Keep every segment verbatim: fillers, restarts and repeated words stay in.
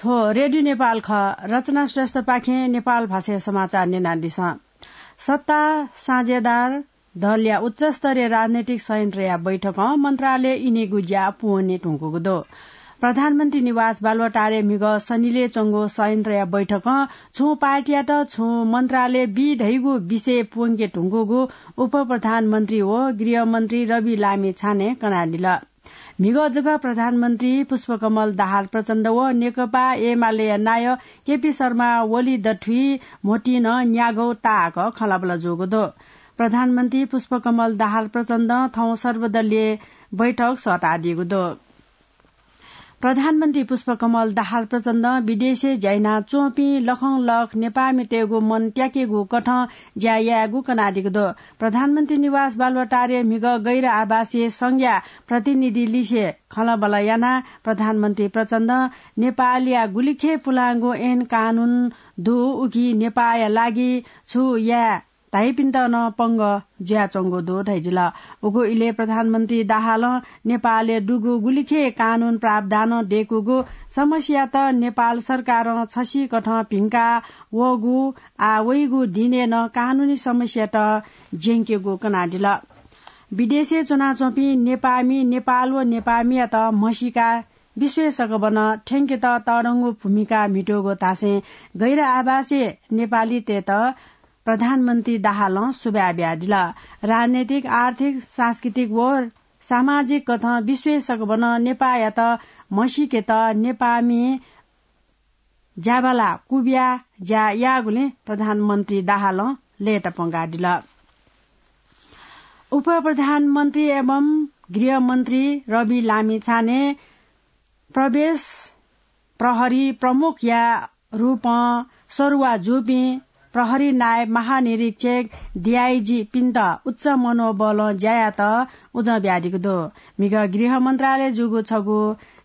थ्व रेडियो नेपाल खः। रचना श्रेष्ठपाखें नेपाल भाषाया समाचार न्यनादिसँ। सत्ता साझेदार दलया उच्चस्तरीय राजनैतिक संयन्त्रया बैठकं मन्त्रालय इनेगु ज्या पूवने धुंकूगु दु। प्रधानमन्त्री निवास बालुवाटारय् म्हिगः सनिलय् च्वंगु संयन्त्रया बैठकं छुं पार्टीयात छुं मन्त्रालय बी धइगु विषय पूवंके धुंकूगु उपप्रधानमन्त्री व गृहमन्त्री रवि लामिछानें कनादिल। म्हिगः जक प्रधानमन्त्री पुष्पकमल दाहाल प्रचण्ड व नेकपा एमालेया नायः केपी शर्मा ओली दथुइ म्होतिं न्यागू ताःहाकः खँल्हाबल्हा जूगु दु। प्रधानमन्त्री पुष्पकमल दाहाल प्रचण्डं थौं सर्वदलीय बैठक सःतादीगु दु। प्रधानमन्त्री पुष्पकमल दाहाल प्रचण्डं विदेशय् ज्या यानाच्वंपिं लखंलख नेपाःमितय्गु मन त्याकेगु कथं ज्या यायेगु कनादीगु दु। प्रधानमन्त्री निवास बालुवाटारय् म्हिगः गैर आवासीय संघया प्रतिनिधि लिसे खँल्हाबल्हा यानाः प्रधानमन्त्री प्रचण्डं नेपालया गुलिखे पुलांगु ऐन कानून दु, उकी नेपाःया लागि छु याये धाइपिन्त नं पंगः जुयाच्वंगु दु धयादिल। उगु इलय् प्रधानमन्त्री दाहालं नेपालय् दुगु गुलिखे कानून प्रावधानं दय्कूगु समस्यायात नेपाल सरकारं छसिकथं भिंका वःगु, आः वइगु दिनय् नं कानूनी समस्यायात ज्यंकेगु कनादिल। विदेशय् च्वनाच्वंपिं नेपाःमि नेपाल व नेपाःमियात म्हसीका विश्वय् सकभनं थ्यंकेत तःधंगु भूमिका म्हितूगु धासें गैर आवासीय नेपालीतय्त प्रधानमन्त्री दाहालं सुभाय् बियादिल। राजनैतिक, आर्थिक, सांस्कृतिक व सामाजिक कथं विश्वय् सकभनं नेपाःयात म्हसीकेत नेपाःमि ज्याबाला कुबिया ज्या याःगुलिं प्रधानमन्त्री दाहालं लय्ताप्वंकादिल। उपप्रधानमन्त्री एवं गृहमन्त्री रवि लामिछानें प्रवेश प्रहरी प्रमुखया रूपं सरुवा जूपिं प्रहरी नायब महानिरीक्षक, डिआइजीपिन्त उच्च मनोबलं ज्या यायेत उजं बियादीगु दु। म्हिगः गृह मन्त्रालय जूगु छगू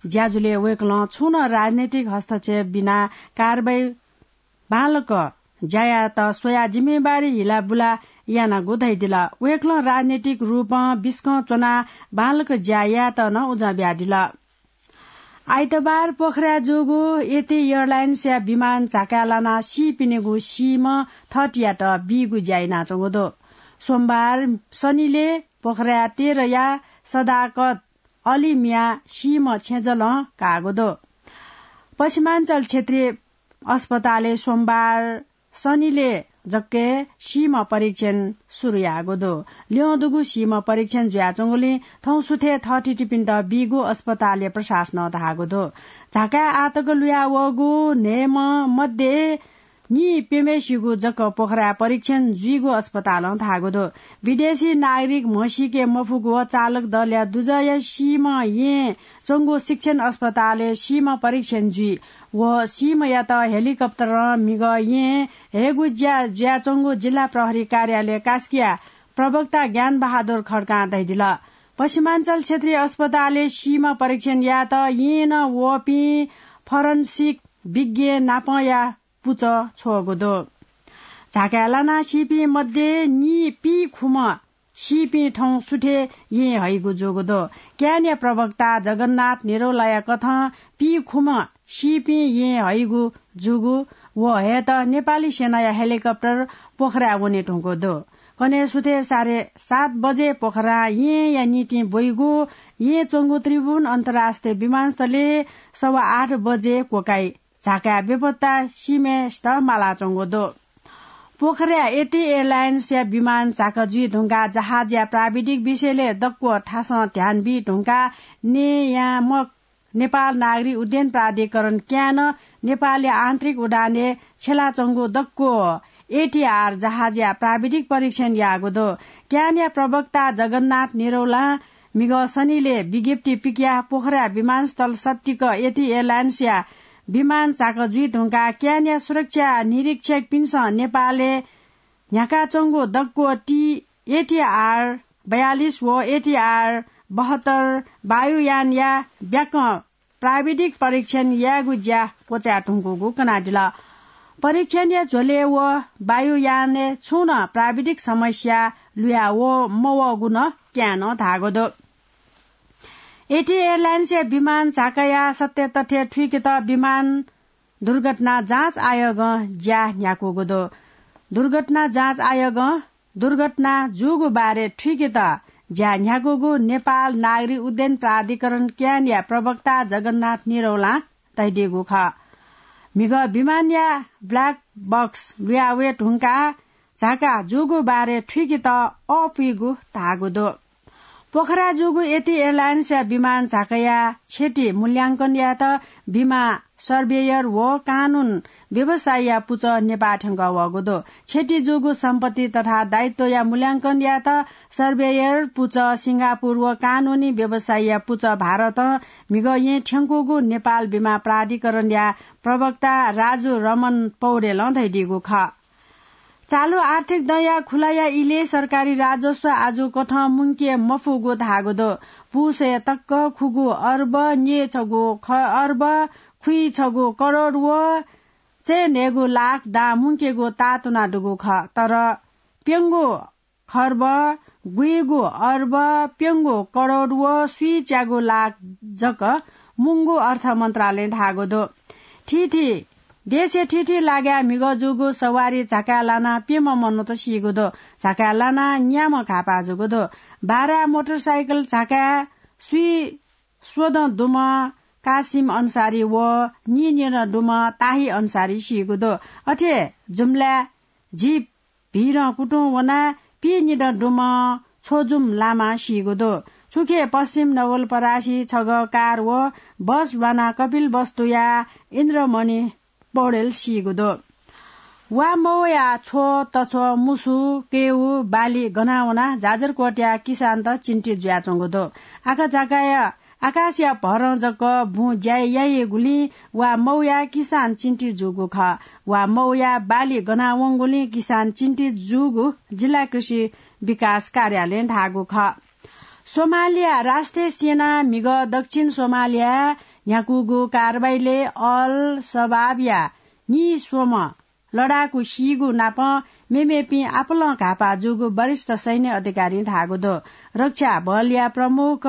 ज्याझ्वलय् वय्कलं छुं नं राजनैतिक हस्तक्षेप बिना कारवाही बांलाक ज्या यायेत स्वयाः जिम्मेवारी हिलाबुला यानागु धयादिल। वय्कलं राजनैतिक रूपं बिस्कं च्वनाः बांलाक ज्या यायेत नं उजं बियादिल। आइतबार पोखराय् जूगु एटी एयरलाइन्सया विमान झाकाय् लानाः सीपिनिगु सीम्ह थःथितियात बीगु ज्या यानाच्वंगु दु। सोमबार सनिलय् पोखराय् तेह्रया सदाकत अली मियां सीम्ह छेँजलं काःगु दु। पश्चिमाञ्चल क्षेत्रीय अस्पतालय् सोमबार सनिलय् जक सीम्ह परीक्षण सुरु याःगु दु। ल्यं दुगु सीम्ह परीक्षण जुयाच्वंगुलिं थौं सुथय् थःथितिपिन्त बीगु अस्पतालया प्रशासनं धाःगु दु। झाकाय् आःतक लुया वःगु न्हय्म्ह मध्ये नीप्यम्हेसिगु जक पोखराय् परीक्षण जुइगु अस्पतालं धाःगु दु। विदेशी नागरिक म्हसीके मफुगु व चालक दलया दुजःया सीम्ह येँय् च्वंगु शिक्षण अस्पतालय् सीम्ह परीक्षण जुइ। व सीम्हयात हेलिकप्टरं म्हिगः येँय् हयेगु ज्या जुयाच्वंगु जिल्ला प्रहरी कार्यालय कास्कीया प्रवक्ता ज्ञानबहादुर खड्कां धयादिल। पश्चिमाञ्चल क्षेत्रीय अस्पतालय् सीम्ह परीक्षण यायेत येँय् नं वःपिं फरेन्सिक विज्ञ नापंया पुचः छ्वःगु दु। झाकाय् लानाः सीपिं मध्ये नीपिं खुम्ह सीपिं थौं सुथय् येँय् हइगु जूगु दु। क्यानया प्रवक्ता जगन्नाथ निरौलाया कथं पीखुम्ह सीपिं येँय् हइगु जूगु व हयेत नेपाली सेनाया हेलिकप्टर पोखराय् वने धुंकूगु दु। कन्हय् सुथय् साढे सात बजे पोखरां येँया निंतिं ब्वइगु येँय् च्वंगु त्रिभुवन अन्तर्राष्ट्रिय विमानस्थलय् सवा आठ बजे क्वकाइ। झाकाय् बेपत्ता सीम्हेसित मालाच्वंगु दु। पोखराय् एटी एयरलाइन्सया विमान झाका जुइ धुंकाः जहाजया प्राविधिक विषयलय् दक्व थासं ध्यान बी धुंकाः नेयामक नेपाल नागरिक उड्डयन प्राधिकरण क्यानं नेपालया आन्तरिक उडानय् छ्यलाच्वंगु दक्व एटीआर जहाजया प्राविधिक परीक्षण याःगु दु। क्यानया प्रवक्ता जगन्नाथ निरौलां म्हिगः सनिलय् विज्ञप्ति पिकयाः पोखरा विमानस्थल सत्तिक एटी एयरलाइन्सया विमान झाका जुइ धुंकाः क्यानया सुरक्षा निरीक्षकपिन्सं नेपालय् न्ह्याकाच्वंगु दक्व टी एटीआर बयालिस व एटीआर बहत्तर वायुयानया ब्याकं प्राविधिक परीक्षण यायेगु ज्या क्वचाये धुंकूगु कनादिल। परीक्षणया झ्वलय् व वायुयानय् छुं नं प्राविधिक समस्या लुया व मवःगु नं क्यानं धाःगु दु। एटी एयरलाइन्सया विमान झाकाया सत्य तथ्य थुइकेत विमान दुर्घटना जाँच आयोगं ज्या न्ह्याकूगु दु। दुर्घटना जाँच आयोगं दुर्घटना जूगु बारे थुइकेत ज्या न्ह्याकूगु नेपाल नागरिक उड्डयन प्राधिकरण, क्यानया प्रवक्ता जगन्नाथ निरौलां धयादीगु खः। म्हिगः विमानया ब्ल्याक बक्स लुया वये धुंकाः झाका जूगु बारे थुइकेत अःपुइगु धाःगु दु। पोखरा जूगु एटी एयरलाइन्सया विमान झाकाया क्षति मूल्यांकन यायेत विमा सर्वेयर व कानून व्यवसायीया पुचः नेपाः थ्यंकः वःगु दु। क्षति जूगु सम्पत्ति तथा दायित्वया मूल्यांकन यायेत सर्वेयर, पुचः, सिंगापुर व कानूनी व्यवसायीया पुचः भारतं म्हिगः येँ थ्यंकूगु नेपाल विमा प्राधिकरणया प्रवक्ता राजु रमन पौडेलं धयादीगु खः। चालु आर्थिक दँया खुलाया इलय् सरकारी राजस्व आजु कथं मुंके मफुगु धाःगु दु। पुसय् तक्क खुगू अर्ब न्यय् छगू ख-, अर्ब खुइछगू करोड व चय्न्हय्गू लाख दां मुंकेगु ताःतुना दुगु खः। तर प्यंगू खर्ब गुइगू अर्ब प्यंगू करोड व स्वीच्यागू लाख जक मुंगु अर्थ मन्त्रालयं धाःगु दु। थीथी देशय् थीथी लागाय् म्हिगः जूगु सवारी झाकाय् लानाः प्यम्ह मनूत सीगु दु। झाकाय् लानाः न्याम्ह घाःपाः जूगु दु। बारा मोटरसाइकल झाकाय् स्वीस्वदँ दुम्ह कासिम अन्सारी व नीनिदँ दुम्ह ताही अन्सारी सीगु दु। अथे जुम्लाय् जीप भिरं कुतुं वनाः पीनिदँ दुम्ह छोजुम लामा सीगु दु। थुखे पश्चिम नवलपरासी छगः कार व बस ल्वानाः कपिलवस्तुया इन्द्रमणि पौडेल सीगु दु। वा मौया छ्व, तछ्व, मुसु, केउ, बाली गना वनाः जाजरकोटया किसानत चिन्तित जुयाच्वंगु दु। आकाझाकाया आकाशया भरं जक बुँ ज्याय् याइगुलिं वा मौया किसान चिन्तित जूगु खः। वा मौया बाली गना वंगुलिं किसान चिन्तित जूगु जिल्ला कृषि विकास कार्यालयं धाःगु खः। सोमालिया राष्ट्रिय सेनां म्हिगः दक्षिण सोमालियाय् न्ह्याकूगु कारवाहीलय् अल शबाबया नीस्वम्ह लडाकू सीगु नाप मेमेपिं आपालं घाःपाः जूगु वरिष्ठ सैन्य अधिकारीं धाःगु दु। रक्षा बलया प्रमुख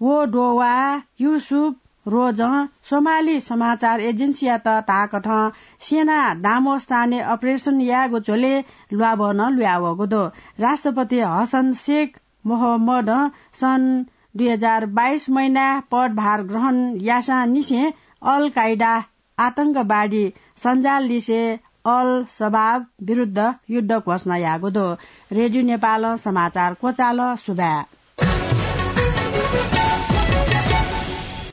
वोडोवा युसुफ रोजं सोमाली समाचार एजेन्सीयात धाःकथं सेना दामोस्तानय् अपरेसन यायेगु झ्वलय् ल्वाभः नं लुयावःगु दु। राष्ट्रपति हसन शेख मोहम्मदं सन् दुई हजार बाइस महिनाय् पदभार ग्रहण याःसां निसें अल कायदा आतंकवादी सञ्जाल लिसे अल शबाब विरुद्ध युद्ध घोषणा याःगु दु। रेडियो नेपालं समाचार क्वचाल। सुभाय्।